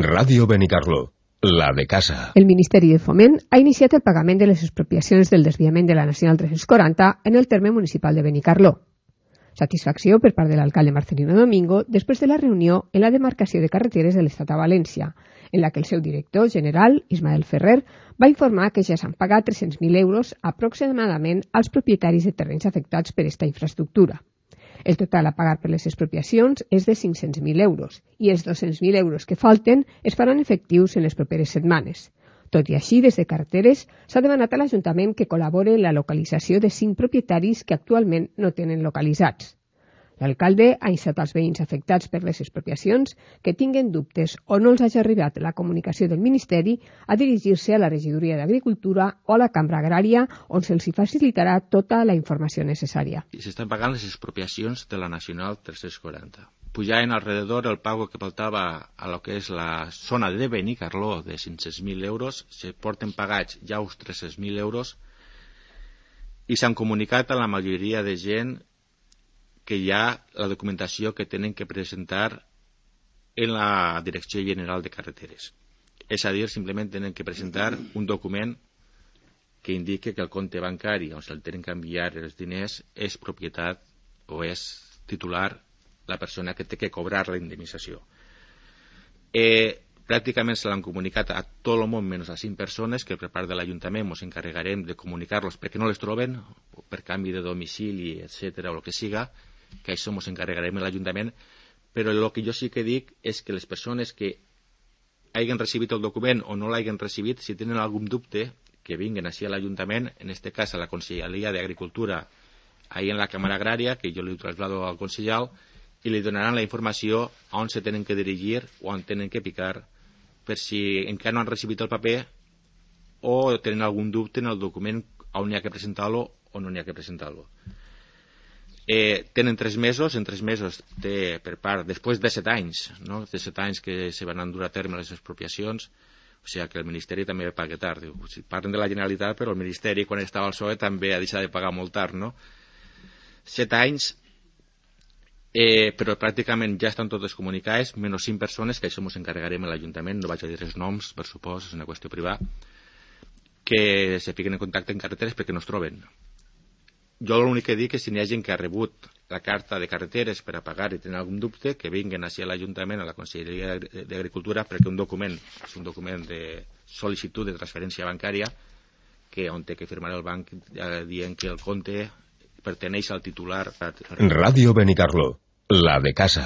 Ràdio Benicarló, la de casa. El Ministeri de Foment ha iniciat el pagament de les expropiacions del desviament de la Nacional 340 en el terme municipal de Benicarló. Satisfacció per part de l'alcalde Marcelino Domingo després de la reunió en la demarcació de carreteres de l'Estat a València, en la que el seu director general, Ismael Ferrer, va informar que ja s'han pagat 300.000 euros aproximadament als propietaris de terrenys afectats per esta infraestructura. El total a pagar per les expropiacions és de 500.000 euros i els 200.000 euros que falten es faran efectius en les properes setmanes. Tot i així, des de Carreteres s'ha demanat a l'Ajuntament que col·labore en la localització de 5 propietaris que actualment no tenen localitzats. L'alcalde ha instat als veïns afectats per les expropiacions que tinguen dubtes o no els hagi arribat la comunicació del Ministeri a dirigir-se a la Regidoria d'Agricultura o a la Cambra Agrària, on se'ls facilitarà tota la informació necessària. S'estan pagant les expropiacions de la Nacional 340. Pujaven alrededor el pago que faltava a lo que és la zona de Benicarló de 500.000 euros, se porten pagats ja uns 300.000 euros i s'han comunicat a la majoria de gent que hi ha la documentació que tenen que presentar en la Direcció General de Carreteres. És a dir, simplement tenen que presentar un document que indique que el compte bancari on se'l tenen que enviar els diners és propietat o és titular la persona que té que cobrar la indemnització. Pràcticament se l'han comunicat a tot el món menys a 5 persones que per part de l'Ajuntament ens encarregarem de comunicar-los perquè no les troben, per canvi de domicili, etc., o el que siga, que això ens encarregarem a l'Ajuntament, però el que jo sí que dic és que les persones que hagin recibit el document o no l'hagin recibit, si tenen algun dubte, que vinguen així a l'Ajuntament, en aquest cas a la Conselleria d'Agricultura, ahí en la Càmera Agrària, que jo li traslado al consellal, i li donaran la informació a on se tenen que dirigir o on tenen que picar, per si encara no han recibit el paper o tenen algun dubte en el document on hi ha que presentar-lo o no hi ha que presentar-lo. Tenen 3 mesos, en 3 mesos per part, després de 7 anys, no? De 7 anys que se van dur a terme les expropiacions, o sigui que el Ministeri també paga tard. Parlen de la Generalitat, però el Ministeri, quan estava al PSOE, també ha deixat de pagar molt tard, no? 7 anys, però pràcticament ja estan totes comunicades, menys 5 persones, que això ens encarregarem a l'Ajuntament, no vaig a dir els noms, per supòs, és una qüestió privada, que se fiquen en contacte en carreteres perquè no es troben. Jo l'únic que dic és si n'hi ha gent que ha rebut la carta de carreteres per a pagar i tenen algun dubte, que vinguin així a l'Ajuntament, a la Conselleria d'Agricultura, perquè un document és un document de sol·licitud de transferència bancària que on té que firmar el banc dient que el compte perteneix al titular. Ràdio Benicarló, la de casa.